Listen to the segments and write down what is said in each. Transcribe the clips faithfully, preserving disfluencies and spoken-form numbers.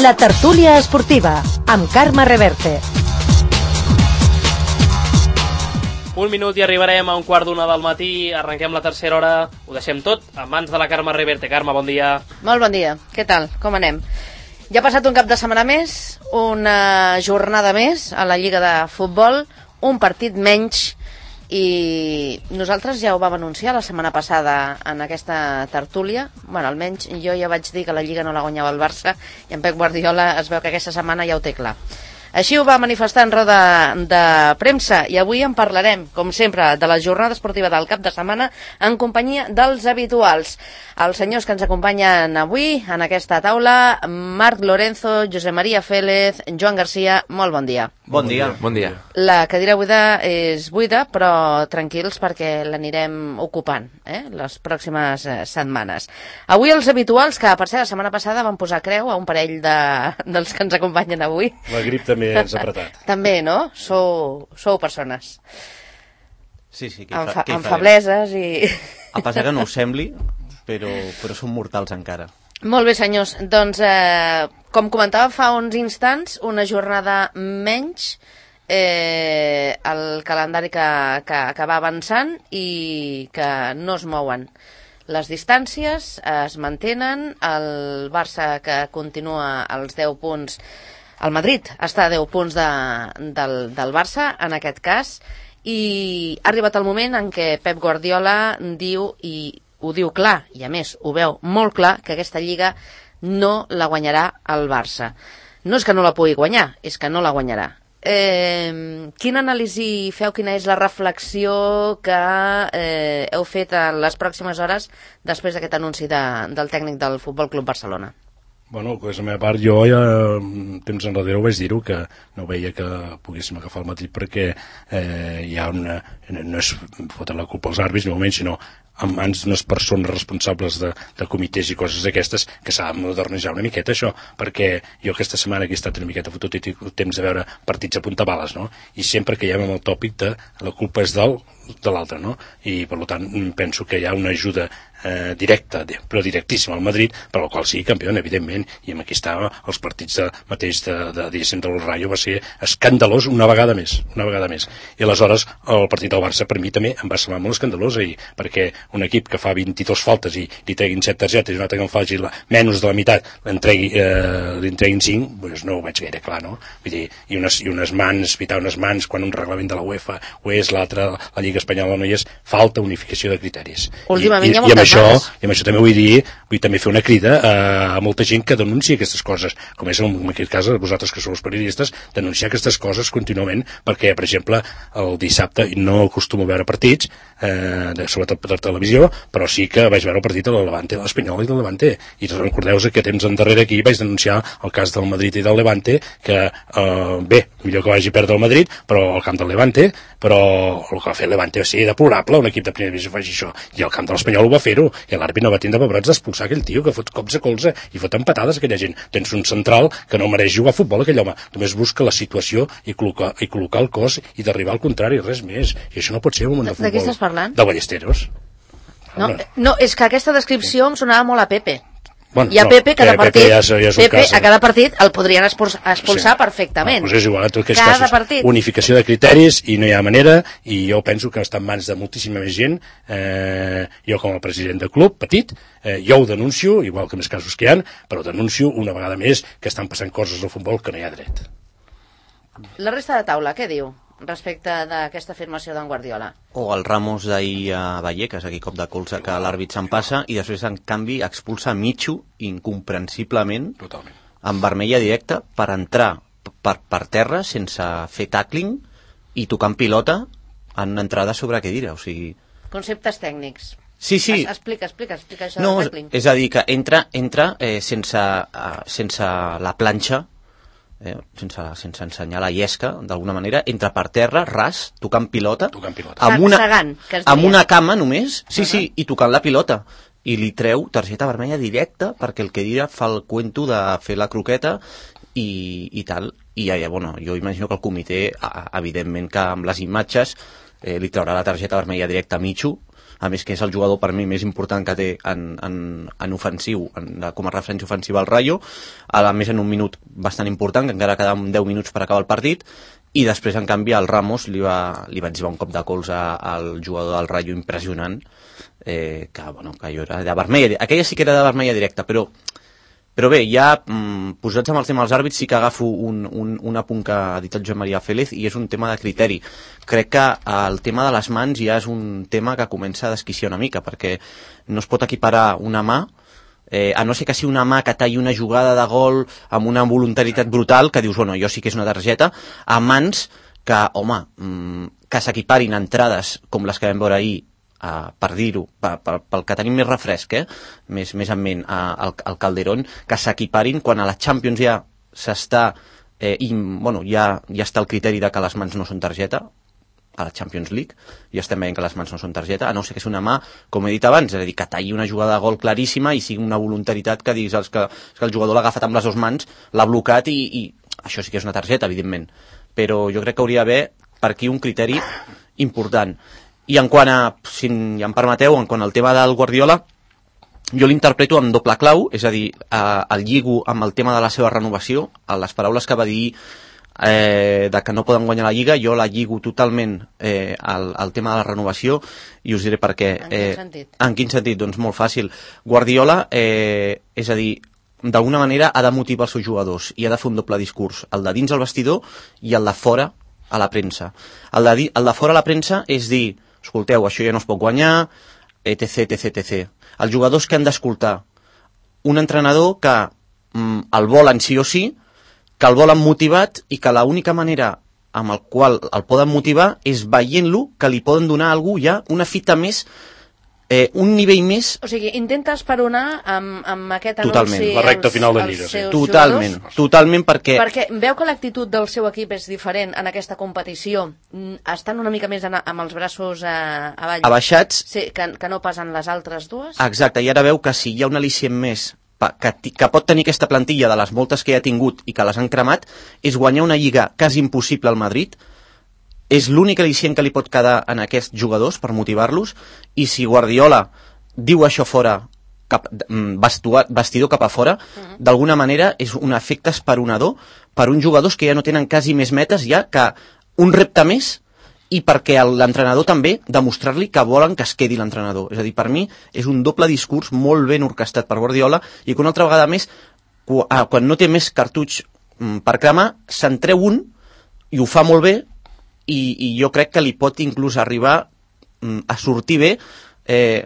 La tertúlia esportiva, amb Carme Reverte. Un minut i arribarem a un quart d'una del matí. Arrenquem la tercera hora. Ho deixem tot a mans de la Carme Reverte. Carme, bon dia. Molt bon dia. Què tal? Com anem? Ja ha passat un cap de setmana més, una jornada més a la Lliga de Futbol, un partit menys, i nosaltres ja ho vam anunciar la setmana passada en aquesta tertúlia. Bueno, almenys jo ja vaig dir que la Lliga no la guanyava el Barça, i en Pep Guardiola es veu que aquesta setmana ja ho té clar. Així ho va manifestar en roda de premsa, i avui en parlarem, com sempre, de la jornada esportiva del cap de setmana en companyia dels habituals. Els senyors que ens acompanyen avui en aquesta taula: Marc Lorenzo, Josep Maria Félez, Joan Garcia. Molt bon dia. Bon dia. Bon dia. La cadira buida és buida, però tranquils perquè l'anirem ocupant eh, les pròximes eh, setmanes. Avui els habituals, que per ser la setmana passada van posar creu a un parell de, dels que ens acompanyen avui. La grip també ens ha apretat. També, no? Sou, sou persones. Sí, sí, amb, fa, amb febleses i... A pesar que no ho sembli, però, però som mortals encara. Molt bé, senyors. Doncs, eh, com comentava fa uns instants, una jornada menys, eh, el calendari que, que, que va avançant i que no es mouen. Les distàncies es mantenen, el Barça que continua als deu punts, el Madrid està a deu punts de, del, del Barça, en aquest cas, i ha arribat el moment en què Pep Guardiola diu, i ho diu clar, i a més ho veu molt clar, que aquesta Lliga no la guanyarà el Barça. No és que no la pugui guanyar, és que no la guanyarà. Eh, quina anàlisi feu, quina és la reflexió que eh, heu fet en les pròximes hores després d'aquest anunci de, del tècnic del Futbol Club Barcelona? Bueno, pues, a la meva part, jo ja temps enrere ho vaig dir-ho, que no veia que poguéssim agafar el Madrid perquè eh, hi ha una... no és fotre la culpa als àrbitres, ni moment, sinó en mans d'unes persones responsables de, de comitès i coses d'aquestes, que s'ha de modernitzar una miqueta això, perquè jo aquesta setmana que he estat una miqueta fotut i tinc temps de veure partits a puntabales, no? I sempre caiem amb el tòpic de la culpa és del, de l'altre, no? I per tant penso que hi ha una ajuda eh, directa, però directíssima al Madrid, per al qual sigui campió, evidentment, i amb aquí estava els partits de, mateix de, de, de, de l'Urraio va ser escandalós una vegada més, una vegada més. I aleshores el partit del Barça per mi també em va semblar molt escandalós ahir, perquè un equip que fa vint-i-dos faltes i li treguin set targetes i un altre que en faci la, menys de la meitat li entreguin cinc, doncs no ho veig gaire clar, no? Vull dir, i unes, i unes mans, pitar unes mans quan un reglament de la UEFA ho és, l'altre, la Lliga Espanyola no hi és, falta unificació de criteris. Últimament I, hi ha i, i, amb això, males. i amb això també vull dir, vull també fer una crida a, a molta gent que denuncia aquestes coses, com és en aquest cas vosaltres que sou els periodistes, denunciar aquestes coses contínuament, perquè, per exemple, el dissabte no acostumo a veure partits, eh, de, sobretot per televisió, però sí que vaig veure el partit de la Levante, de l'Espanyol i del Levante, i recordeu-vos que temps endarrere aquí vaig denunciar el cas del Madrid i del Levante, que eh, bé, millor que vagi a perdre el Madrid, però al camp del Levante, però el que va fer el Levante va ser deplorable, un equip de primera divisió faci això, i el camp de l'Espanyol ho va fer-ho, i l'àrbit no va tindre pebrots d'expulsar aquell tio que fot cops a colze i fot empatades a aquella gent. Tens un central que no mereix jugar a futbol, aquell home, només busca la situació i col·locar, i col·locar el cos i d'arribar al contrari, res més, i això no pot ser un moment de futbol. De què estàs parlant? De Ballesteros. No, no, és que aquesta descripció em sonava molt a Pepe. Bueno, I a Pepe, no, cada Pepe partit, ja és, ja és Pepe cas, a cada partit el podrien expulsar, expulsar sí. perfectament. No, doncs és igual, en tots cada casos, partit. Unificació de criteris i no hi ha manera, i jo penso que està en mans de moltíssima més gent. Eh, jo com a president de club, petit, eh, jo ho denuncio, igual que més casos que hi ha, però denuncio una vegada més que estan passant coses al futbol que no hi ha dret. La resta de taula, què diu respecte d'aquesta afirmació d'en Guardiola? O el Ramos d'ahir a Vallecas, aquí cop de colze que l'àrbit se'n passa i després en canvi expulsa Michu incomprensiblement Totalment. amb vermella directa per entrar per, per terra sense fer tackling i tocant pilota en una entrada sobre cadira, o sigui... Conceptes tècnics. Sí, sí. Es, explica, explica, explica això no, del tackling. És a dir, que entra, entra eh, sense, uh, sense la planxa, Eh, sense, sense ensenyar la llesca, d'alguna manera, entra per terra, ras, tocant pilota, tocant pilota. amb una, Segant, que es amb diria. una cama només, sí, Uh-huh. sí, i tocant la pilota. I li treu targeta vermella directa perquè el que dirà fa el cuento de fer la croqueta i, i tal. I ja, bueno, jo imagino que el comitè, evidentment que amb les imatges, eh, li traurà la targeta vermella directa a Michu, a més que és el jugador per mi més important que té en, en, en ofensiu, en, com a referència ofensiva al Rayo, a més en un minut bastant important, que encara quedaven deu minuts per acabar el partit, i després, en canvi, el Ramos li va, li va etzibar un cop de colze al jugador del Rayo impressionant, eh, que, bueno, que jo era de vermella, aquella sí que era de vermella directa, però Però bé, ja mm, posats amb el tema dels àrbits sí que agafo un, un, un apunt que ha dit el Joan Maria Félez i és un tema de criteri. Crec que el tema de les mans ja és un tema que comença a desquiciar una mica, perquè no es pot equiparar una mà, eh, a no ser que sigui una mà que talli una jugada de gol amb una voluntaritat brutal, que dius, bueno, jo sí que és una targeta, a mans que, home, mm, que s'equiparin a entrades com les que vam veure ahir, Uh, per dir-ho, pel que tenim més refresc, eh? més, més en ment, uh, el, el Calderón, que s'equiparin quan a la Champions ja s'està, eh, i, bueno, ja, ja està el criteri de que les mans no són targeta, a la Champions League, ja estem veient que les mans no són targeta, a no ser que és una mà, com he dit abans, és a dir, que talli una jugada de gol claríssima i sigui una voluntaritat que diguis els que, que el jugador l'ha agafat amb les dues mans, l'ha blocat i, i això sí que és una targeta, evidentment. Però jo crec que hauria d'haver per aquí un criteri important. I en quant a, si ja em permeteu, en quant al tema del Guardiola, jo l'interpreto amb doble clau, és a dir, eh, el lligo amb el tema de la seva renovació, a les paraules que va dir eh, de que no poden guanyar la Lliga, jo la lligo totalment eh, al, al tema de la renovació i us diré per què. En quin sentit? Eh, en quin sentit? Doncs molt fàcil. Guardiola, eh, és a dir, d'alguna manera ha de motivar els seus jugadors i ha de fer un doble discurs, el de dins al vestidor i el de fora a la premsa. El de, el de fora a la premsa és dir, escolteu, això ja no es pot guanyar, etc, etc, etc. Els jugadors que han d'escoltar un entrenador que mm, el volen sí o sí, que el volen motivat i que l'única manera amb el qual el poden motivar és veient-lo que li poden donar a algú ja una fita més, eh, un nivell més... O sigui, intenta esperonar amb, amb aquest anunci... Totalment. La recta als, final de als Lliga, sí. seus Totalment, jugadors, totalment perquè... perquè veu que l'actitud del seu equip és diferent en aquesta competició. Mm, Estan una mica més en, amb els braços eh, avall. Abaixats. Sí, que, que no passen les altres dues. Exacte, i ara veu que si hi ha un al·licient més pa- que, ti- que pot tenir aquesta plantilla de les moltes que ja ha tingut i que les han cremat, és guanyar una lliga quasi impossible al Madrid. És l'únic al·licient que li pot quedar en aquests jugadors per motivar-los, i si Guardiola diu això fora, cap, vestua, vestidor cap a fora, uh-huh. d'alguna manera és un efecte esperonador per uns jugadors que ja no tenen quasi més metes, ja que un repte més, i perquè l'entrenador també demostrar-li que volen que es quedi l'entrenador. És a dir, per mi és un doble discurs molt ben orquestat per Guardiola, i que una altra vegada més, quan no té més cartutx per cremar, se'n treu un i ho fa molt bé, i, i jo crec que li pot inclús arribar a sortir bé, eh,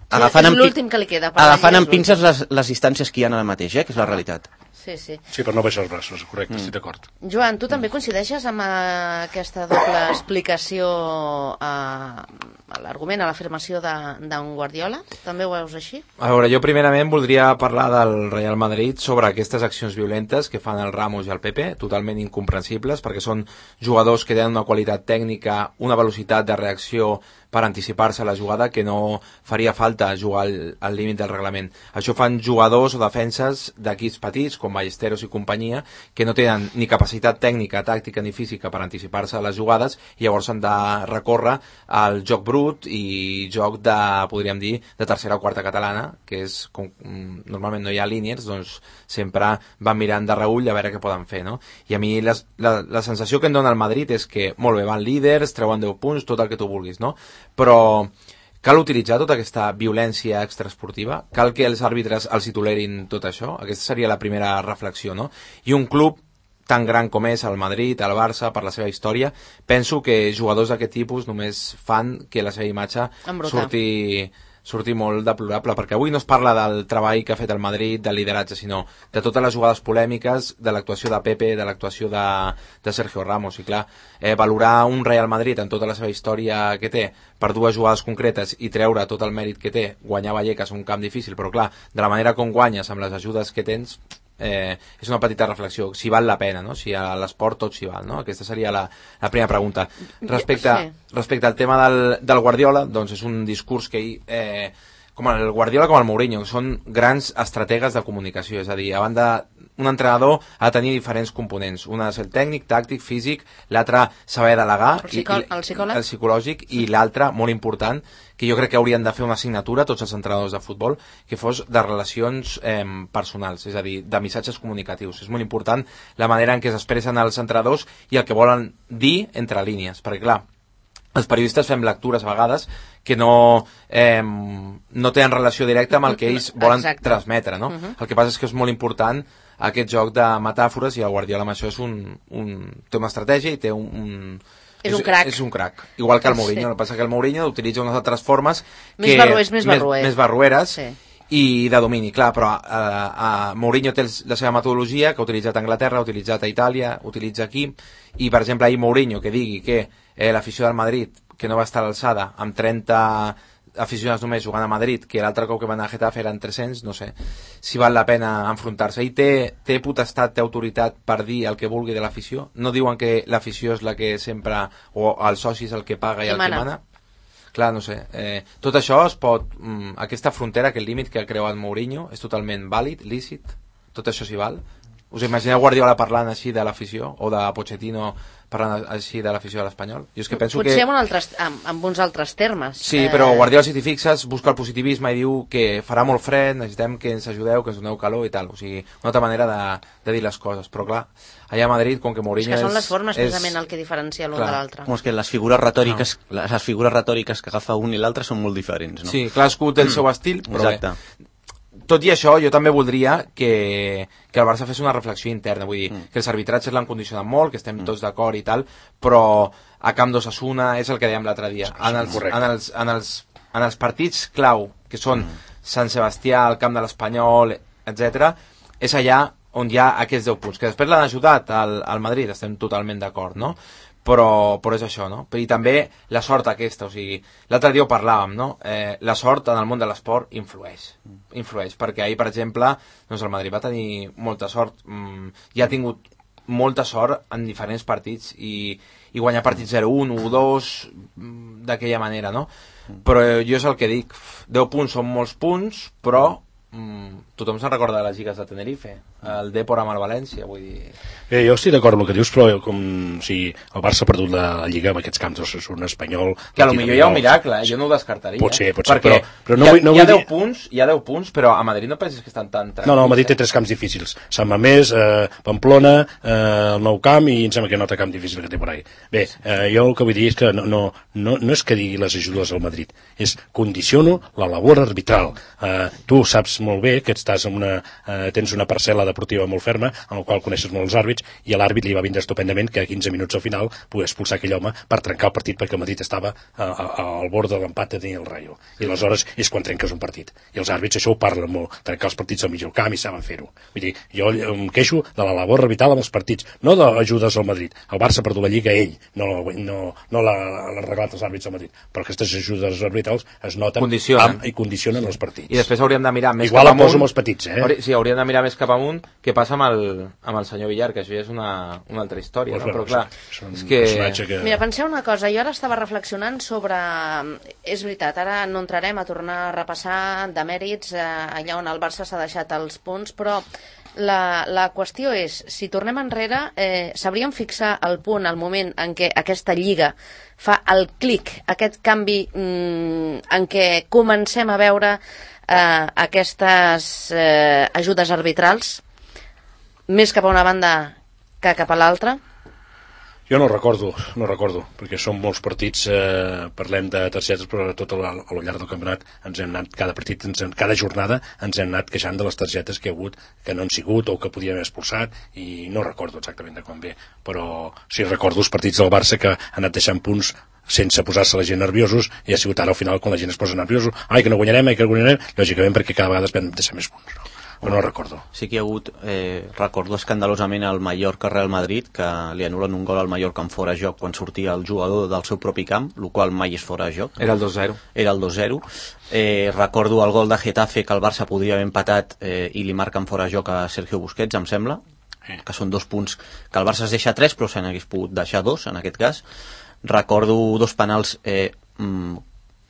agafant, és l'últim que li queda. agafant amb pinces les, les distàncies que hi ha ara mateix, eh, que és la realitat. Sí, sí. Sí, per no baixar els braços, correcte, mm. estic d'acord. Joan, tu també coincideixes amb uh, aquesta doble explicació a, a l'argument, a l'afirmació d'un Guardiola? També ho veus així? A veure, jo primerament voldria parlar del Real Madrid sobre aquestes accions violentes que fan el Ramos i el Pepe, totalment incomprensibles, perquè són jugadors que tenen una qualitat tècnica, una velocitat de reacció per anticipar-se a la jugada que no faria falta jugar al, al límit del reglament. Això fan jugadors o defenses d'equips petits, com Ballesteros i companyia, que no tenen ni capacitat tècnica, tàctica ni física per anticipar-se a les jugades, i llavors han de recórrer al joc brut i joc de, podríem dir, de tercera o quarta catalana, que és, com normalment no hi ha línies, doncs sempre van mirant de reull a veure què poden fer, no? I a mi les, la, la sensació que em dona el Madrid és que, molt bé, van líders, treuen deu punts, tot el que tu vulguis, no? Però cal utilitzar tota aquesta violència extraesportiva? Cal que els àrbitres els hi tolerin tot això? Aquesta seria la primera reflexió, no? I un club tan gran com és el Madrid, el Barça, per la seva història, penso que jugadors d'aquest tipus només fan que la seva imatge surti, surti molt deplorable, perquè avui no es parla del treball que ha fet el Madrid, del lideratge, sinó de totes les jugades polèmiques, de l'actuació de Pepe, de l'actuació de, de Sergio Ramos. I clar, eh, valorar un Real Madrid en tota la seva història que té per dues jugades concretes i treure tot el mèrit que té, guanyar Vallecas un camp difícil, però clar, de la manera com guanyes amb les ajudes que tens, eh, és una petita reflexió, si val la pena, no? Si a l'esport tot s'hi val, no? Aquesta seria la, la primera pregunta. Respecte, sí. respecte al tema del, del Guardiola, doncs és un discurs que ell, eh, com el Guardiola com el Mourinho, que són grans estrategues de comunicació, és a dir, a banda un entrenador ha de tenir diferents components, un ha de ser el tècnic, tàctic, físic, l'altre saber delegar, el, psicò i, i, el psicòleg, el psicològic, i l'altre, molt important, que jo crec que haurien de fer una assignatura tots els entrenadors de futbol, que fos de relacions eh, personals, és a dir, de missatges comunicatius. És molt important la manera en què s'expressen els entrenadors i el que volen dir entre línies, perquè clar, els periodistes fem lectures a vegades que no, eh, no tenen relació directa amb el que ells volen Exacte. transmetre, no? Uh-huh. El que passa és que és molt important aquest joc de metàfores, i el Guardiola amb això és un, un, té una estratègia i té un... un és, és un crac. És un crac. Igual que el Mourinho. Sí. El que passa que el Mourinho utilitza unes altres formes més que, barruers, més, barruers. més, més barrueres sí. i de domini, clar, però eh, eh, Mourinho té el, la seva metodologia que ha utilitzat a Anglaterra, ha utilitzat a Itàlia, utilitza aquí, i per exemple ahir Mourinho que digui que eh, l'afició del Madrid que no va estar a l'alçada, amb trenta aficionats només jugant a Madrid, que l'altre cop que van a Getafe eren tres-cents, no sé si val la pena enfrontar-se. I té, té potestat, té autoritat per dir el que vulgui de l'afició. No diuen que l'afició és la que sempre, o el soci és el que paga i el que mana. Clar, no sé. Eh, tot això es pot... Mm, aquesta frontera, aquest límit que ha creuat Mourinho, és totalment vàlid, lícit? Tot això s'hi val? Us imagineu Guardiola parlant així de l'afició, o de Pochettino parlant així de l'afició de l'Espanyol? Jo és que penso Potser que... amb, altres, amb, amb uns altres termes. Sí, eh... però Guardiola, si t'hi fixes, busca el positivisme i diu que farà molt fred, necessitem que ens ajudeu, que ens doneu calor i tal. O sigui, una altra manera de, de dir les coses. Però clar, allà a Madrid, com que Mourinho és... És que són les formes, és... precisament, el que diferencia l'un de l'altre. Com és que les figures retòriques, no. les figures retòriques que agafa un i l'altre són molt diferents, no? Sí, cadascú té el seu estil, però Exacte. bé. Tot i això, jo també voldria que, que el Barça fes una reflexió interna, vull dir, mm. que els arbitratges l'han condicionat molt, que estem mm. tots d'acord i tal, però a Camp d'Osasuna és el que dèiem l'altre dia. En els, en, els, en, els, en els partits clau, que són mm. Sant Sebastià, el Camp de l'Espanyol, etcètera, és allà on hi ha aquests deu punts, que després l'han ajudat al, al Madrid, estem totalment d'acord, no? Però, però és això, no? I també la sort aquesta, o sigui, l'altre dia ho parlàvem, no? Eh, la sort en el món de l'esport influeix, influeix, perquè ahir, per exemple, doncs el Madrid va tenir molta sort, mm, i ha tingut molta sort en diferents partits, i, i guanyar partits zero un, u dos, d'aquella manera, no? Però jo és el que dic, deu punts són molts punts, però mm, tothom se'n recorda de les lligues de Tenerife, el Depor amb el València, vull dir... Eh, jo estic d'acord amb el que dius, però com si el Barça ha perdut la Lliga amb aquests camps, és un espanyol... Que a lo millor hi ha un miracle, eh? Jo no ho descartaria. Pot ser, pot ser, però, però no hi ha, vull, no hi, ha vull deu dir... punts, hi ha deu punts, però a Madrid no penses que estan tan tranquils. No, no, a Madrid té tres camps difícils. Sant Mamés, eh, Pamplona, eh, el Nou Camp, i em sembla que no té camp difícil que té por ahí. Bé, eh, jo el que vull dir és que no, no, no, no és que digui les ajudes al Madrid, és condiciono la labor arbitral. Eh, tu saps molt bé que estàs en una, eh, tens una parcel·la deportiva molt ferma, en la qual coneixes molt els àrbits, i a l'àrbit li va vindre estupendament que a quinze minuts al final pogués expulsar aquell home per trencar el partit, perquè el Madrid estava a, a, al bord de l'empat de tenir el Rayo. I aleshores és quan trenques un partit. I els àrbits això ho parlen molt, trencar els partits al mig del camp, i saben fer-ho. Vull dir, jo em queixo de la labor arbitral amb els partits, no d'ajudes al Madrid. El Barça ha perdut la Lliga ell, no, no, no l'ha arreglat els àrbits al Madrid, però aquestes ajudes arbitrals es noten condicionen. Amb, i condicionen els partits. I després hauríem de mirar més Igual cap amunt. Igual em poso amb els petits, eh? Sí, hauríem de mirar més cap amunt què passa amb el, amb el senyor Villar, que això ja és una, una altra història, pues no? Però clar, és que... que... Mira, penseu una cosa, jo ara estava reflexionant sobre... És veritat, ara no entrarem a tornar a repassar de mèrits eh, allà on el Barça s'ha deixat els punts, però la, la qüestió és, si tornem enrere, eh, sabríem fixar el punt, el moment en què aquesta lliga fa el clic, aquest canvi mm, en què comencem a veure eh, aquestes eh, ajudes arbitrals, més cap a una banda que cap a l'altra? Jo no recordo, no recordo, perquè són molts partits, eh, parlem de targetes, però tot a lo llarg del campionat ens hem anat, cada partit, ens, cada jornada ens hem anat queixant de les targetes que hi ha hagut, que no han sigut o que podien haver expulsat, i no recordo exactament de quan ve, però sí recordo els partits del Barça que han anat deixant punts sense posar-se la gent nerviosos, i ha sigut ara al final quan la gent es posa nerviosos, ai que no guanyarem, ai que no guanyarem, lògicament perquè cada vegada es vam deixar més punts, no? Però no recordo. Sí que hi ha hagut, eh, recordo escandalosament el Mallorca Real Madrid, que li anulen un gol al Mallorca en fora de joc quan sortia el jugador del seu propi camp, el qual mai és fora de joc. Era el dos zero. Era el dos zero. Eh, recordo el gol de Getafe que el Barça podria haver empatat eh, i li marquen fora de joc a Sergio Busquets, em sembla, eh. que són dos punts que el Barça es deixa tres, però se n'hagués pogut deixar dos, en aquest cas. Recordo dos penals eh, mm,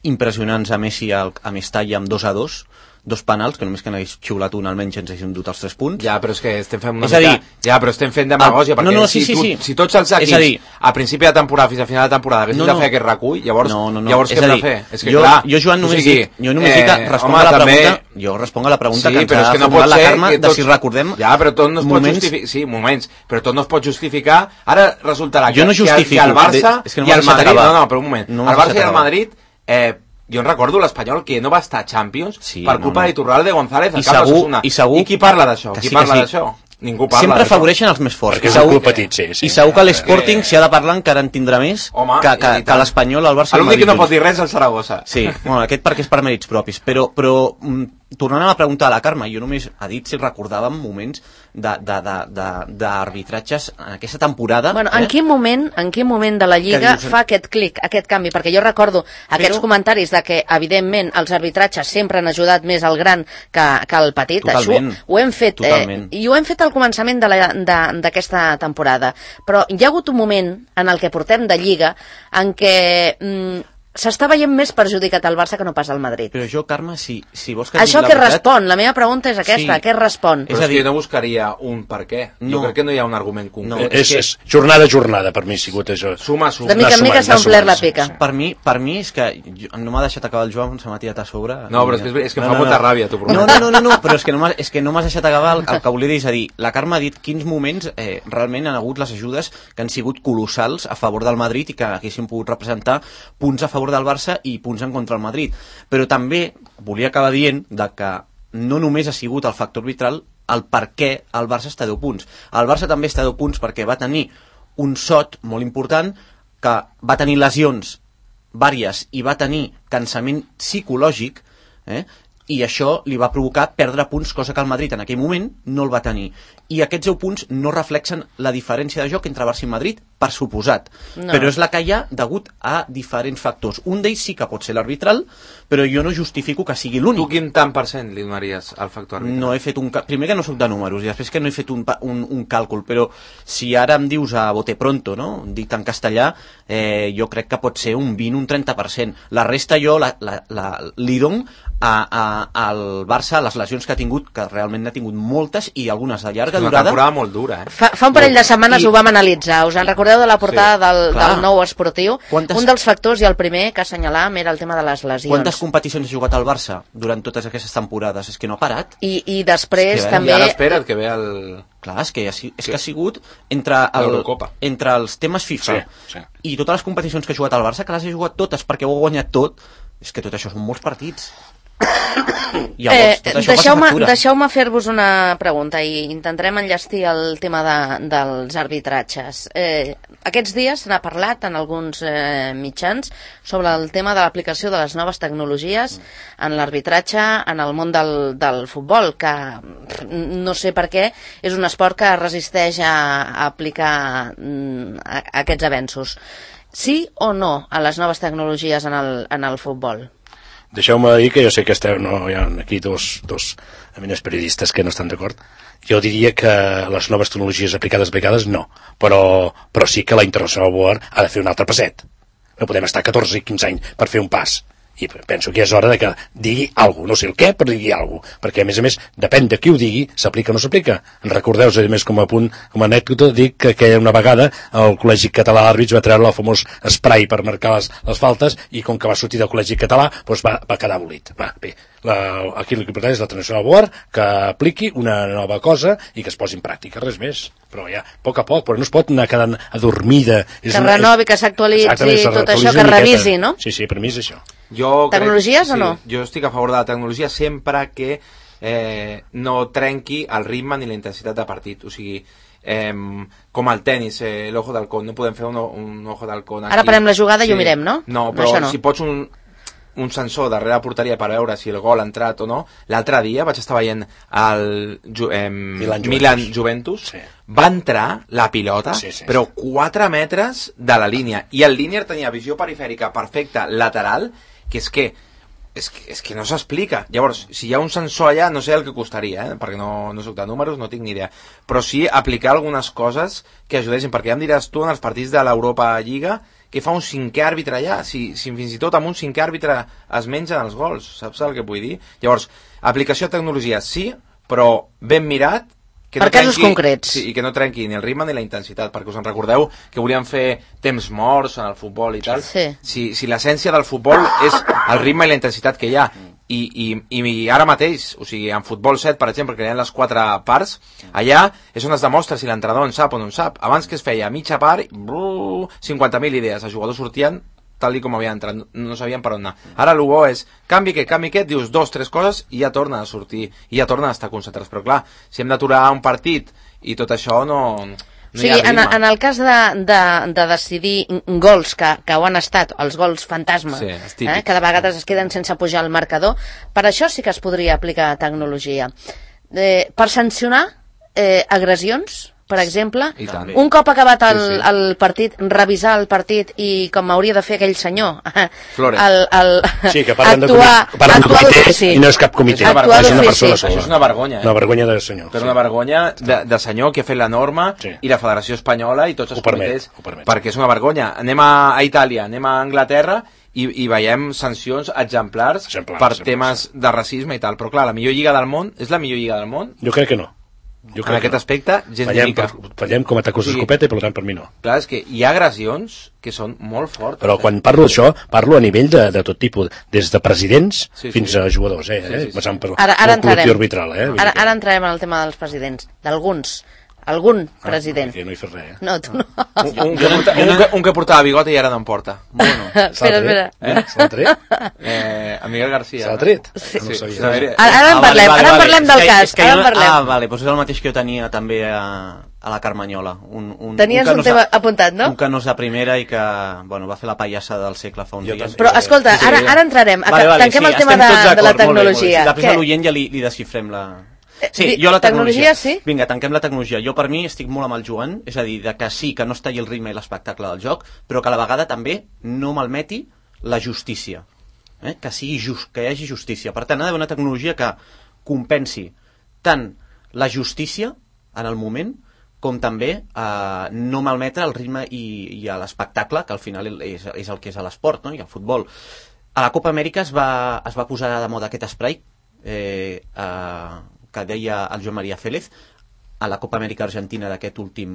impressionants a Messi a Mestalla amb dos a dos, dos penals, que només que n'hagués xiulat un almenys ens haguéssim dut els tres punts. Ja, però és que estem fent una és mica... Dir, ja, però estem fent demagògia, ah, perquè no, no, sí, si, sí, tu, sí. si tots els equips dir... a principi de temporada fins a final de temporada haguessin no, no. de fer aquest recull, llavors, no, no, no. llavors què hem de fer? És que jo, clar, jo, Joan, només, o sigui, dic, jo només eh, dic que responc home, a la també... pregunta, jo responc a la pregunta sí, que ens ha que no formulat la Carme, tots... de si recordem ja, però tot no es moments... pot justificar, sí, moments, però tot no es pot justificar, ara resultarà que, jo no que, que el Barça de... és que no i el Madrid, acabar. no, no, però un moment, no el Barça i el Madrid, eh, jo en recordo l'Espanyol que no va estar a Champions sí, per culpa no, no. d'Iturralde González al cap de Sassuna. I, segur, I qui parla d'això? Qui sí, parla sí. d'això? Ningú parla sempre afavoreixen els més forts. Perquè és un club petit, sí, sí. I segur que l'Sporting, si ha de parlar, encara en tindrà més Home, que, que, que l'Espanyol, el Barça i el Madrid. L'únic que no junts. pot dir res és el Saragossa. Sí, bueno, aquest perquè és per mèrits propis. Però, però tornant a la pregunta de la Carme, jo només ha dit si recordàvem moments d'arbitratges en aquesta temporada. Bueno, en, eh? quin moment, en quin moment de la Lliga dius... fa aquest clic, aquest canvi? Perquè jo recordo aquests però... comentaris de que, evidentment, els arbitratges sempre han ajudat més al gran que, que al petit. Totalment. Això ho hem fet, eh, i ho hem fet al començament d'aquesta temporada. Però hi ha hagut un moment en el que portem de Lliga en què... Mm, s'està veient més perjudicat el Barça que no pas el Madrid. Però jo, Carme, si, si vols que... Això què respon? La meva pregunta és aquesta, sí. Què respon? Però és, és dir... que jo no buscaria un per què. No. Jo crec que no hi ha un argument concret. No, és, és jornada a jornada, per mi ha sigut això. Suma, suma. De mica en mica s'ha omplert la pica. Per mi, per mi és que no m'ha deixat acabar el Joan, se m'ha tirat a sobre. No, però és que, és que em fa no, molta no. ràbia, t'ho prometo. No, no, no, no, no, però és que no m'has no deixat acabar el, el que volia dir, és a dir, la Carme ha dit quins moments eh, realment han hagut les ajudes que han sigut colossals a favor del Madrid i que haguessin pogut representar punts a favor del Barça i punts en contra del Madrid, però també volia acabar dient de que no només ha sigut el factor arbitral el per què el Barça està a deu punts. El Barça també està a deu punts perquè va tenir un sot molt important, que va tenir lesions vàries i va tenir cansament psicològic, eh? I això li va provocar perdre punts, cosa que el Madrid en aquell moment no el va tenir. I aquests deu punts no reflexen la diferència de joc entre Barça i Madrid, per suposat. No. Però és la que hi ha degut a diferents factors. Un d'ells sí que pot ser l'arbitral, però jo no justifico que sigui l'únic. Tu quin tant per cent li donaries al factor arbitral? No he fet un... Primer que no soc de números i després que no he fet un, un, un càlcul, però si ara em dius a bote pronto, no? Dit en castellà, eh, jo crec que pot ser un vint, un trenta per cent. La resta jo la, la, la, li dono a, a, al Barça, les lesions que ha tingut, que realment n'ha tingut moltes i algunes de llarga durada. Una temporada molt dura, eh? Fa, fa un parell de setmanes I... ho vam analitzar. Us en recordeu de la portada sí, del, del nou esportiu? Quantes... Un dels factors i el primer que assenyalàvem era el tema de les lesions. Quantes competicions ha jugat el Barça durant totes aquestes temporades? És que no ha parat. I, i després és que també... I ara espera't que ve el... Clar, és que, ha, és que ha sigut entre, el, entre els temes FIFA sí, sí. i totes les competicions que ha jugat el Barça, que les ha jugat totes perquè ho ha guanyat tot, és que tot això són molts partits. Llavors, eh, deixeu-me deixeu fer-vos una pregunta i intentarem enllestir el tema de, dels arbitratges. Eh, aquests dies se n'ha parlat en alguns eh, mitjans sobre el tema de l'aplicació de les noves tecnologies en l'arbitratge en el món del, del futbol, que no sé per què és un esport que resisteix a, a aplicar mm, a, a aquests avenços. Sí o no a les noves tecnologies en el, en el futbol? Deixeu-me dir que jo sé que esteu, no, hi ha aquí dos, dos eminents periodistes que no estan d'acord. Jo diria que les noves tecnologies aplicades aplicades no, però, però sí que la International Board ha de fer un altre passet. No podem estar catorze i quinze anys per fer un pas. I penso que és hora de que digui alguna cosa, no sé el què, però digui alguna cosa, perquè a més a més, depèn de qui ho digui, s'aplica o no s'aplica. En recordeu, a més com a punt, com a anècdota, dic que, que una vegada el Col·legi Català d'Àrbits va treure el famós spray per marcar les, les faltes i com que va sortir del Col·legi Català doncs va, va quedar abolit. Va, bé, la, aquí el que importa és la International Board que apliqui una nova cosa i que es posi en pràctica, res més. Però ja, a poc a poc, però no es pot anar quedant adormida. Que renovi, que s'actualitzi, tot això, que revisi, no? Sí, sí, per mi és això. Jo tecnologies crec, o no? Sí, jo estic a favor de la tecnologia sempre que eh, no trenqui el ritme ni la intensitat de partit. O sigui, eh, com el tennis, eh, l'ojo d'halcón, no podem fer un, un ojo d'halcón aquí. Ara parem la jugada i sí. ho mirem, no? No, però no. si pots un, un sensor darrere la porteria per veure si el gol ha entrat o no. L'altre dia vaig estar veient el eh, Milan-Juventus, Milan Juventus. Sí. Va entrar la pilota, sí, sí, però quatre metres de la línia. I el línier tenia visió perifèrica perfecta lateral, que és que és que, és que no s'explica. Llavors, si hi ha un sensor allà, no sé el que costaria, eh? Perquè no, no soc de números, no tinc ni idea. Però sí aplicar algunes coses que ajudessin, perquè ja em diràs tu en els partits de l'Europa Lliga que fa un cinquè àrbitre allà, si, si fins i tot amb un cinquè àrbitre es mengen els gols, saps el que vull dir? Llavors, aplicació de tecnologia sí, però ben mirat, que per no casos trenqui, concrets. Sí, i que no trenqui ni el ritme ni la intensitat, perquè us en recordeu que volíem fer temps morts en el futbol i tal. Sí. Si, si l'essència del futbol és el ritme i la intensitat que hi ha, i, i, i ara mateix, o sigui, en futbol set, per exemple, que hi ha les quatre parts, allà és on es demostra si l'entrenador en sap o no en sap. Abans que es feia mitja part, brrr, cinquanta mil idees, els jugadors sortien tal com havien entrat, no sabien per on anar. Ara el bo és, canvi aquest, canvi aquest, dius dos, tres coses i ja torna a sortir, i ja torna a estar concentrats. Però clar, si hem d'aturar un partit i tot això no... no o sigui, en, en el cas de, de, de decidir gols que, que ho han estat, els gols fantasma, sí, eh, que de vegades es queden sense pujar al marcador, per això sí que es podria aplicar tecnologia. Eh, per sancionar eh, agressions, per exemple, un cop acabat el, sí, sí. el partit, revisar el partit i com hauria de fer aquell senyor Flores. El, el, sí, que parlen actuar, de, parlen actuar de comitè sí. I no és cap comitè, és una, una persona sola. Això és una vergonya, eh? Una vergonya de senyor. Però sí. Una vergonya de, de senyor que ha fet la norma sí. I la Federació Espanyola i tots els comitès, perquè és una vergonya. Anem a, a Itàlia, anem a Anglaterra i, i veiem sancions exemplars, exemplars per exemplars. Temes de racisme i tal. Però clar, la millor lliga del món, és la millor lliga del món? Jo crec que no. Jo en aquest no. aspecte, gens fallem, mica. Per, fallem com a tacos d'escopeta i per tant per mi no. Clar, és que hi ha agressions que són molt fortes. Però quan parlo d'això, parlo a nivell de, de tot tipus, des de presidents sí, sí. fins a jugadors, eh? Sí, sí, sí. Eh? Per, ara, ara entrarem. Arbitral, eh? Ara, ara entrarem en el tema dels presidents, d'alguns. Algun ah, president. No hi fes res, eh? No, tu no. Un, un, que, porta, un, que, un que portava bigot i ara no en porta. Bueno, espera, espera. Eh? Se l'ha tret? Eh, a Miguel García. Se l'ha tret? Sí. No sí. Ara, ara en parlem, ah, vale, vale, ara en parlem vale. del cas. És que, és que ara en parlem. Ah, vale, doncs és el mateix que jo tenia també a, a la Carmanyola. Un, un, Tenies un, un tema apuntat, no? Un canós de primera i que, bueno, va fer la pallassa del segle fa uns jo dies. Però, escolta, sí, ara, ara entrarem. Vale, vale, tanquem sí, el tema de, de la tecnologia. Després a l'oient ja li, li desxifrem la... Sí, eh, jo la tecnologia, tecnologia sí? Vinga, tanquem la tecnologia. Jo per mi estic molt amb el Joan, és a dir, de que sí, que no es talli el ritme i l'espectacle del joc, però que a la vegada també no malmeti la justícia, eh? Que sigui just, que hi hagi justícia. Per tant, ha d'haver una tecnologia que compensi tant la justícia en el moment com també eh, no malmetre el ritme i, i l'espectacle, que al final és, és el que és a l'esport, no? I el futbol. A la Copa Amèrica es va, es va posar de moda aquest spray eh, eh, que deia el Joan Maria Félez a la Copa Amèrica Argentina d'aquest últim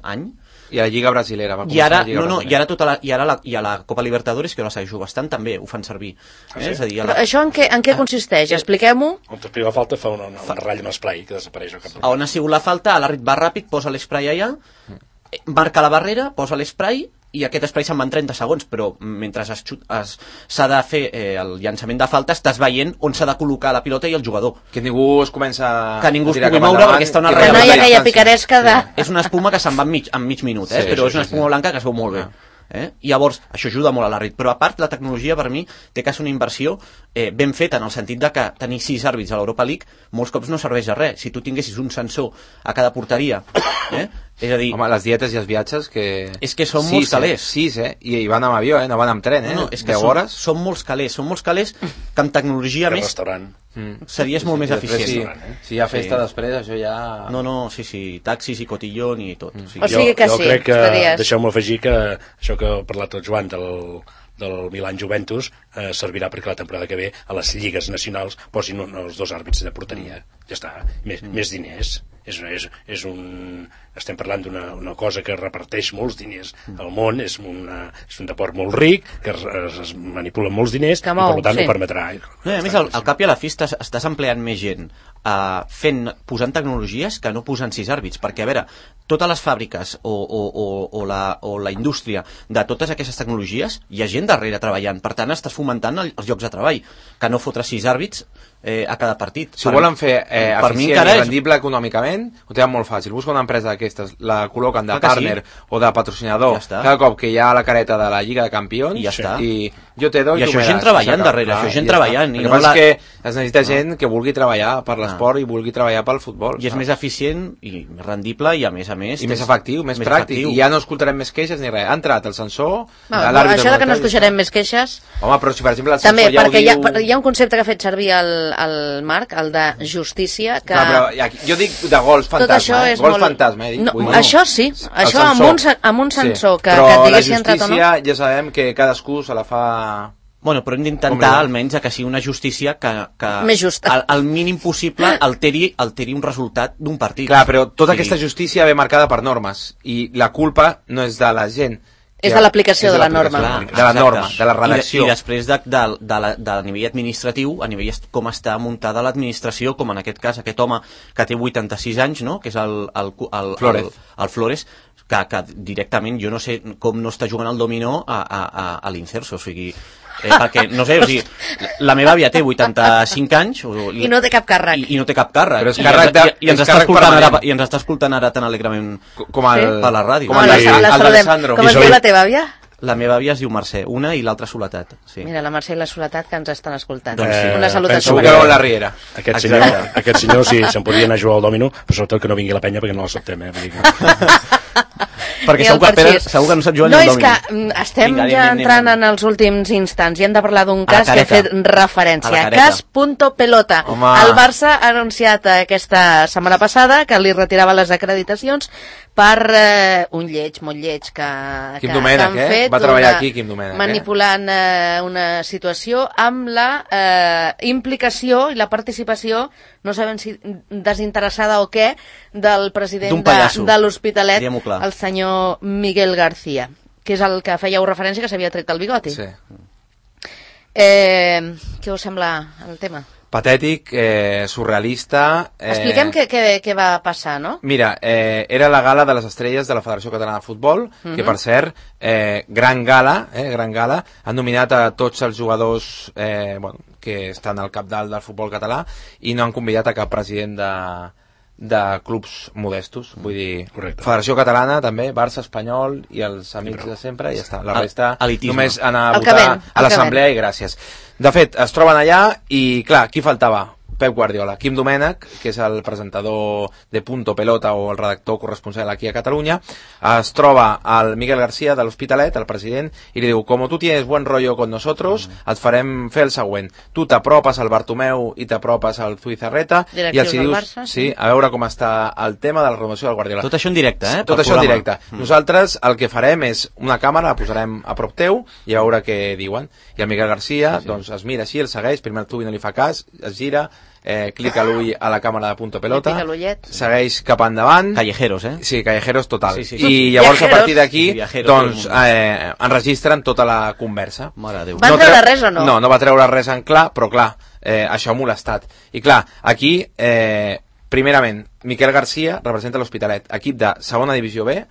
any. I a la Lliga Brasilera va I ara, la Lliga no, no, Brasilera. i ara, tota la, i, ara la, i a la Copa Libertadores, que jo la segueixo bastant, també ho fan servir. Ah, sí? eh? És a dir, la... la... Això en què, en què consisteix? Expliquem-ho. On t'explica la falta fa una, una, una ratlla, un spray que desapareix. A on ha sigut la falta, l'àrbit va ràpid, posa l'espray allà, marca la barrera, posa l'espray i aquest spray se'n va en trenta segons, però mentre s'ha de fer eh, el llançament de falta estàs veient on s'ha de col·locar la pilota i el jugador. Que ningú es comença que ningú a es pugui moure perquè està una que no hi ha aquella picaresca de... És una espuma que se'n va en mig, en mig minut, eh? Sí, però sí, és una espuma sí. blanca que es veu molt bé. Eh? I llavors, això ajuda molt a l'àrbit, però a part la tecnologia per mi té que ser una inversió eh, ben feta en el sentit de que tenir sis àrbits a l'Europa League molts cops no serveix de res. Si tu tinguessis un sensor a cada porteria, eh? És a dir... Home, les dietes i els viatges que... És que són sis, molts calés. Eh? Sis, eh? I, I van amb avió, eh? No van amb tren, eh? No, no, és que deu són, hores. són molts calés, són molts calés que amb tecnologia que més... restaurant. Mm. Series sí, molt sí, més eficient. Sí, eh? si hi ha festa sí. després, això ja... No, no, sí, sí, taxis i cotillón i tot. Mm. O sigui, o sigui que jo, sí, jo crec que, estaries... deixeu-me afegir que això que ha parlat el Joan del, del Milan Juventus eh, servirà perquè la temporada que ve a les lligues nacionals posin un, els dos àrbits de porteria. Ja està, més, mm. més diners. És, és, és un, estem parlant d'una una cosa que reparteix molts diners al món, és, una, és un deport molt ric, que es, es manipulen molts diners que i mou, per tant sí. no permetrà. No, a més, al, al cap i a la fi estàs, estàs empleant més gent uh, fent, posant tecnologies que no posant sis àrbits, perquè a veure, totes les fàbriques o, o, o, o, la, o la indústria de totes aquestes tecnologies hi ha gent darrere treballant, per tant estàs fomentant el, els llocs de treball, que no fotre sis àrbits eh, a cada partit. Si per, volen fer eh, per eficient i rendible és... econòmicament, ho tenen molt fàcil. Busca una empresa d'aquestes, la col·loquen de partner sí. o de patrocinador ja cada cop que hi ha la careta de la Lliga de Campions i, ja està. i Jo te doy, I això gent treballant darrere, això gent treballant. El que passa és que es necessita gent que vulgui treballar per l'esport i vulgui treballar pel futbol. I és més eficient i més rendible i a més a més... I més efectiu, més pràctic. I ja no escoltarem més queixes ni res. Ha entrat el censor... Això que no escoltarem més queixes... Home, però si per exemple el censor també, ja ho perquè diu... Hi ha, hi ha un concepte que ha fet servir el, el Marc, el de justícia, que... Clar, però jo dic de gols fantasma, eh? Gols molt... fantasma, eh? No, això sí, això amb un, amb un sensor sí. que, que et digués si ha entrat o no. Però la justícia ja sabem que cadascú se la fa... Bueno, però hem d'intentar almenys que sigui una justícia que, que més justa. Al, al mínim possible alteri, alteri un resultat d'un partit. Clar, però tota aquesta justícia ve marcada per normes i la culpa no és de la gent. És de l'aplicació de, de la norma. Clar, de la norma, de la redacció. I, i després de, de, de, la, de nivell administratiu, a nivell com està muntada l'administració, com en aquest cas aquest home que té vuitanta-sis anys, no? Que és el, el, el, Flores. el, el Flores, que, que directament jo no sé com no està jugant al dominó a, a, a, a l'Incerso, o sigui... Eh, perquè, no sé, o sigui, la meva àvia té vuitanta-cinc anys o, i no té cap càrrec i, i no té cap càrrec però és càrrec de, i, i, ens està escoltant ara, i ens està escoltant ara tan alegrement com el, per la ràdio com el, el, el, el d'Alessandro. Com es diu la teva àvia? La meva àvia es diu Mercè, una i l'altra Soledat. Sí. Mira, la Mercè i la Soledat que ens estan escoltant. Doncs sí. Una salutació. Segur que veu la riera. Aquest senyor, aquest senyor sí, se'n podria anar a jugar al dòmino, però sobretot que no vingui la penya perquè no l'acceptem, eh? Perquè segur que, Pere, segur que no sap jugar no, ni al dòmino. No, és que estem Vinga, ja anem, entrant anem. en els últims instants i hem de parlar d'un cas que ha fet referència. Cas punto pelota. Home. El Barça ha anunciat aquesta setmana passada que li retirava les acreditacions per eh, un lleig, molt lleig que, Quim que, Domènech, que han fet. Eh? Va treballar aquí, Quim Domènech. Manipulant eh, una situació amb la eh, implicació i la participació, no sabem si desinteressada o què, del president de, de l'Hospitalet, el senyor Miguel García, que és el que fèieu referència, que s'havia tret el bigoti. Sí. Eh, què us sembla el tema? Patètic, eh, surrealista... Eh... Expliquem què, què, què va passar, no? Mira, eh, era la gala de les estrelles de la Federació Catalana de Futbol, uh-huh. que per cert, eh, gran gala, eh, gran gala, han nominat a tots els jugadors eh, bueno, que estan al capdalt del futbol català i no han convidat a cap president de, de clubs modestos, vull dir, correcte. Federació Catalana també, Barça, Espanyol i els amics de sempre i ja està, la resta elitisme. Només anar a el votar ven, a l'assemblea i gràcies. De fet, es troben allà i clar, qui faltava? Pep Guardiola, Quim Domènech, que és el presentador de Punto Pelota o el redactor corresponsal aquí a Catalunya, es troba al Miguel García de l'Hospitalet, el president, i li diu, como tú tienes buen rollo con nosotros, mm. et farem fer el següent. Tu t'apropes al Bartomeu i t'apropes al Zubizarreta i els dius, Barça, sí, a veure com està el tema de la renovació del Guardiola. Tot això en directe, eh? Tot això en directe. Mm. Nosaltres el que farem és una càmera, la posarem a prop teu i a veure què diuen. I el Miguel García, sí, sí. doncs es mira així, el segueix, primer el tubi no li fa cas, es gira, Eh, clica l'ull a la càmera de Punto Pelota, segueix cap endavant, callejeros, eh? Sí, callejeros total, sí, sí, sí. I llavors viajeros. A partir d'aquí doncs eh, eh, enregistren tota la conversa. Van no treure treu... res o no? No, no va treure res en clar, però clar, eh, això ha molestat. I clar, aquí eh, primerament, Miquel García representa l'Hospitalet, equip de segona divisió B,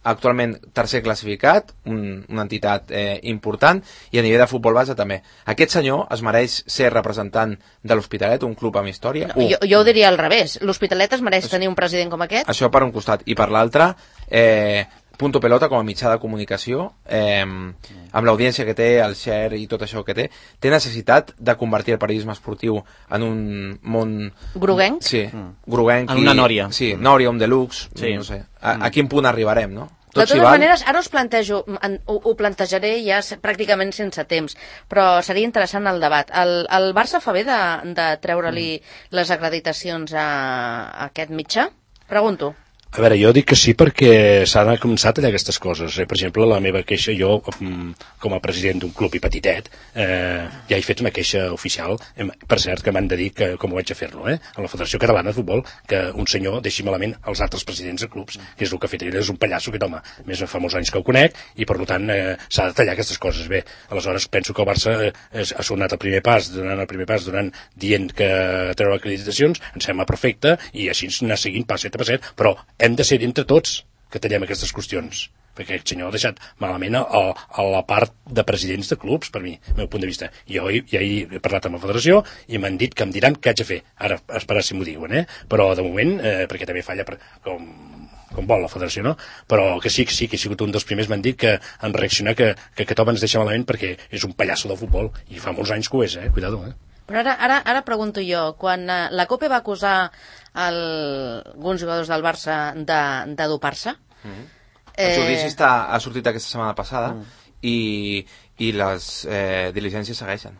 actualment tercer classificat, un, una entitat eh, important, i a nivell de futbol base també. Aquest senyor es mereix ser representant de l'Hospitalet, un club amb història. No, jo, jo ho diria al revés. L'Hospitalet es mereix tenir un president com aquest? Això per un costat. I per l'altre, eh, Punto Pelota com a mitjà de comunicació, eh, amb l'audiència que té, el share i tot això que té, té necessitat de convertir el periodisme esportiu en un món... Groguenc? Sí, groguenc. En una nòria. Sí, nòria, un deluxe, sí. no sé. A, a quin punt arribarem, no? Tot de totes val... maneres, ara us plantejo, ho, ho plantejaré ja pràcticament sense temps, però seria interessant el debat. El, el Barça fa bé de, de treure-li mm. les acreditacions a, a aquest mitjà? Pregunto. A veure, jo dic que sí perquè s'han començat a tallar aquestes coses. Eh? Per exemple, la meva queixa, jo com a president d'un club i petitet, eh, ja he fet una queixa oficial, per cert que m'han de dir que, com ho vaig a fer-lo, eh? a la Federació Catalana de Futbol, que un senyor deixi malament els altres presidents de clubs, que és el que ha fet ell, és un pallasso, aquest home, més fa molts anys que el conec, i per tant eh, s'ha de tallar aquestes coses. Bé, aleshores penso que el Barça eh, ha sonat el primer pas, donant el primer pas, donant, dient que treure acreditacions, em sembla perfecte, i així anar seguint passet a passet, però hem de ser entre tots que tallem aquestes qüestions, perquè aquest senyor ha deixat malament a, a la part de presidents de clubs, per mi, el meu punt de vista. Jo ja he parlat amb la federació i m'han dit que em diran què haig de fer. Ara, esperar si m'ho diuen, eh? Però de moment, eh, perquè també falla per, com com vol la federació, no? Però que sí, que sí, que he sigut un dels primers, m'han dit que han reaccionat que, que aquest home ens deixa malament perquè és un pallasso de futbol, i fa molts anys que ho és, eh? Cuidado, eh? Però ara, ara, ara pregunto jo, quan eh, la COPE va acusar el, alguns jugadors del Barça de, de dopar-se... Mm-hmm. Eh... El judici està, ha sortit aquesta setmana passada mm. i, i les eh, diligències segueixen.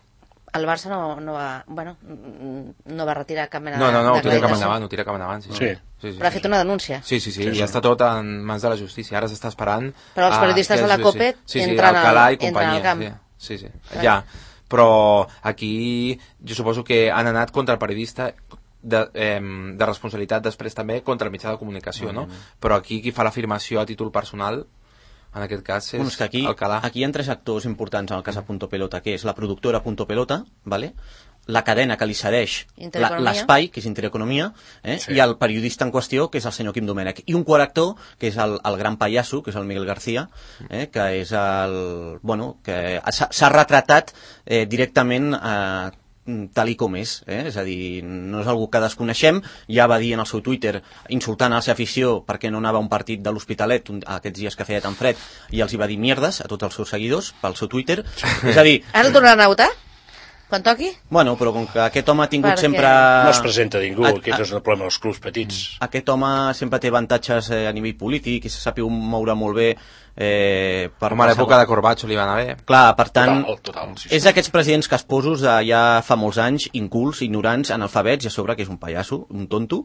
El Barça no, no va, bueno, no va retirar cap mena no, no, no, de... No, no, ho tira cap endavant, ho tira cap endavant, sí. Sí. Sí, sí, però ha sí. fet una denúncia. Sí, sí, sí, sí, i sí. està tot en mans de la justícia. Ara s'està esperant... Però els periodistes de la COPE sí, sí, entren, Alcalá al, i companyia, entren al camp. Sí, sí, sí. Ja. Però aquí jo suposo que han anat contra el periodista de, eh, de responsabilitat després també contra el mitjà de comunicació, mm. no? Però aquí qui fa l'afirmació a títol personal en aquest cas és, bueno, és que aquí, Alcalá. Aquí hi ha tres actors importants en el cas de Punto Pelota, que és la productora Punto Pelota, ¿vale? La cadena que li cedeix l'espai, que és Intereconomia, eh? Sí. I el periodista en qüestió, que és el senyor Quim Domènech. I un quart actor, que és el, el gran pallasso, que és el Miguel García, eh? Que és el... Bueno, que s'ha retratat eh, directament eh, tal i com és, eh? És a dir, no és algú que desconeixem, ja va dir en el seu Twitter, insultant a la seva afició perquè no anava a un partit de l'Hospitalet aquests dies que feia tan fred, i els hi va dir mierdes a tots els seus seguidors pel seu Twitter. És a dir... Ara el tornaran a votar? Quan toqui? Bueno, però com que aquest home ha tingut Perquè... sempre... No es presenta ningú, a, aquest és el problema dels clubs petits. Aquest home sempre té avantatges eh, a nivell polític i se sap moure molt bé eh, per... Com a l'època de Corbacho li va anar bé. Clar, per tant, total, total, sí, sí. És d'aquests presidents casposos de ja fa molts anys, incults, ignorants, analfabets, i a sobre que és un pallasso, un tonto,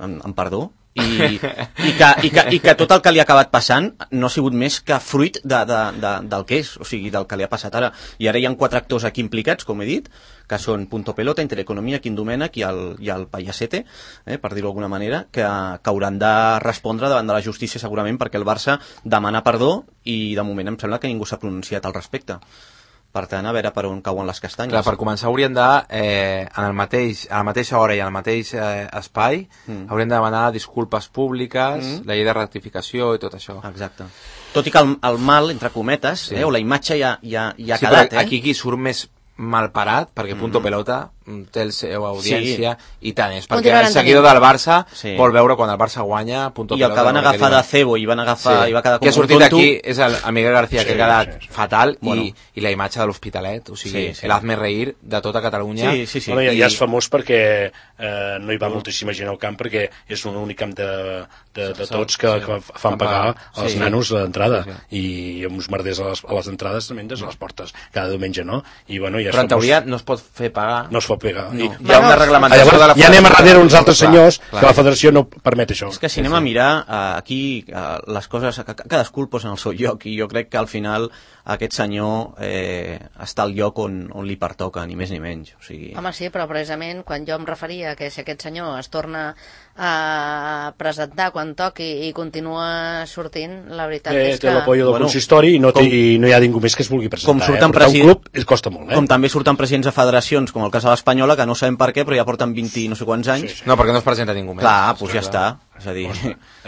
en, en perdó, i, i, que, i, que, i que tot el que li ha acabat passant no ha sigut més que fruit de, de, de, del que és, o sigui, del que li ha passat ara. I ara hi ha quatre actors aquí implicats, com he dit, que són Punto Pelota, Intereconomia, Quim Domènech i el, i el Payasete, eh, per dir-ho d'alguna manera, que, que hauran de respondre davant de la justícia segurament perquè el Barça demana perdó i de moment em sembla que ningú s'ha pronunciat al respecte. Per tant, a veure per on cauen les castanyes. Clar, per començar haurien de, eh, en el mateix, a la mateixa hora i en el mateix eh, espai, mm. haurien de demanar disculpes públiques, mm. la llei de rectificació i tot això. Exacte. Tot i que el, el mal, entre cometes, sí. eh, o la imatge ja, ja, ja ha sí, quedat, però eh? aquí qui surt més mal parat, perquè Punto mm. Pelota té la seva audiència sí. i tant és, perquè el seguidor del Barça sí. vol veure quan el Barça guanya Punto i el Pelota, que van agafar de cebo i van agafar sí. i va quedar com que ha sortit un tonto aquí és el, el Miguel García, sí, que ha quedat sí, sí. fatal bueno. i, i la imatge de l'Hospitalet, o sigui, sí, sí. l'hazme reír de tota Catalunya. Sí, sí, sí. Bueno, ja, I... ja és famós perquè eh, no hi va moltíssima gent al camp perquè és un únic camp de, de, de tots que, que fan pagar als sí. nanos l'entrada sí, sí. i uns merders a les, a les entrades també des de les portes cada diumenge, no? I, bueno, ja però en teoria no es pot fer pagar. No es pot pagar. No. I, hi ha una reglamentació llavors, de la ja anem a darrere uns altres clar, senyors clar. que la federació no permet això. És que si anem a mirar uh, aquí uh, les coses, cadascú el posa en el seu lloc i jo crec que al final aquest senyor eh, està al lloc on, on li pertoca, ni més ni menys. O sigui... Home, sí, però precisament quan jo em referia que si aquest senyor es torna a presentar quan toqui i continua sortint, la veritat eh, és que... Té l'apoyo del bueno, consistori i no, té, com, i no hi ha ningú més que es vulgui presentar. Com surten eh? president... un club costa molt, eh? Com també surten presidents de federacions, com el cas de l'Espanyola, que no sabem per què, però ja porten vint i no sé quants anys. Sí, sí. No, perquè no es presenta ningú més. Clar, doncs ja està. És a dir...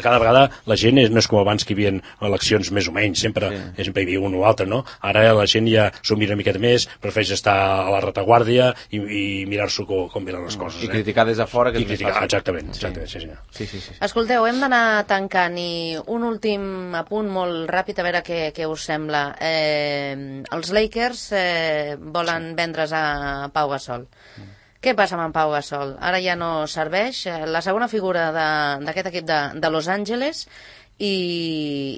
Cada vegada la gent és, no és com abans que hi havia eleccions més o menys, sempre, sí. sempre hi havia un o altre, no? Ara la gent ja s'ho mira una miqueta més, prefereix estar a la retaguardia i, i mirar-s'ho com, com miren les coses. I eh? criticar des de fora, que I és criticar, més fàcil. exactament, exactament, sí, sí, sí, sí, sí. Escolteu, hem d'anar tancant i un últim apunt molt ràpid a veure què, què us sembla. Eh, els Lakers eh, volen sí. vendre's a Pau Gasol. Mm. Què passa amb en Pau Gasol? Ara ja no serveix. La segona figura d'aquest equip de, de Los Angeles i,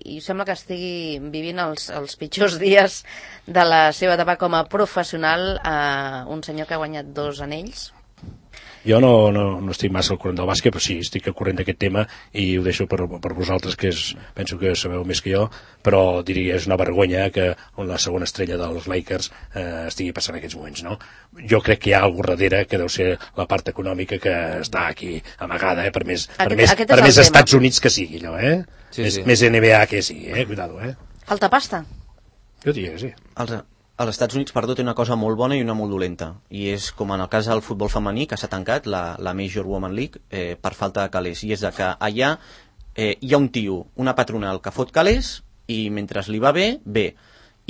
i sembla que estigui vivint els, els pitjors dies de la seva etapa com a professional, eh, un senyor que ha guanyat dos anells. Jo no, no, no estic massa al corrent del bàsquet, però sí, estic al corrent d'aquest tema i ho deixo per, per vosaltres, que és, penso que sabeu més que jo, però diria és una vergonya que la segona estrella dels Lakers eh, estigui passant en aquests moments, no? Jo crec que hi ha alguna darrere que deu ser la part econòmica que està aquí amagada, eh, per més, per aquest, més, aquest per més tema. Estats Units que sigui, allò, eh? Sí, més, sí. més N B A que sigui, eh? Cuidado, eh? Falta pasta. Jo diria que sí. Els, als Estats Units, perdó, té una cosa molt bona i una molt dolenta, i és com en el cas del futbol femení, que s'ha tancat, la, la Major Women League, eh, per falta de calés, i és de que allà eh, hi ha un tio, una patronal que fot calés, i mentre li va bé, bé,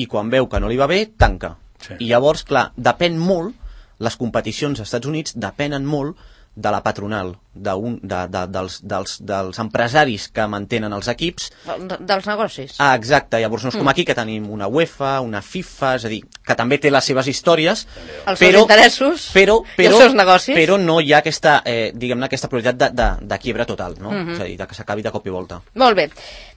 i quan veu que no li va bé, tanca. Sí. I llavors, clar, depèn molt, les competicions als Estats Units depenen molt de la patronal, de un, de, de, dels, dels, dels empresaris que mantenen els equips. De, dels negocis. Ah, exacte, llavors no és com aquí, que tenim una UEFA, una FIFA, és a dir, que també té les seves històries, els però, seus interessos però, però, i els seus negocis. Però no hi ha aquesta, eh, diguem-ne, aquesta prioritat de, de, de quiebra total, no? Uh-huh. És a dir, de que s'acabi de cop i volta. Molt bé,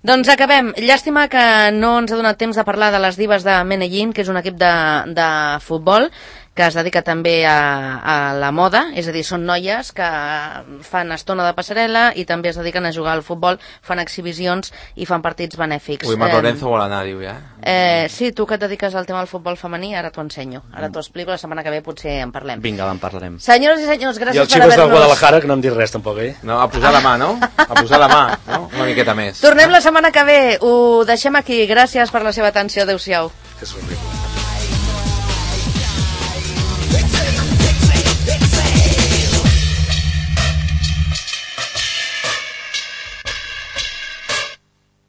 doncs acabem. Llàstima que no ens ha donat temps de parlar de les Divas de Medellín, que és un equip de, de futbol que es dedica també a, a la moda, és a dir, són noies que fan estona de passarel·la i també es dediquen a jugar al futbol, fan exhibicions i fan partits benèfics. Ui, Mar eh, Lorenzo vol anar, diu, ja. Eh, sí, tu que et dediques al tema del futbol femení, ara t'ho ensenyo. Ara t'ho explico, la setmana que ve potser en parlem. Vinga, en parlarem. Senyores i senyors, gràcies I els per xicos del haver-nos... Guadalajara, que no hem dit res tampoc, eh? No, a posar la mà, no? A posar la mà, no? Una miqueta més. Tornem la setmana que ve, ho deixem aquí. Gràcies per la seva atenció, adeu-siau. Que somriu.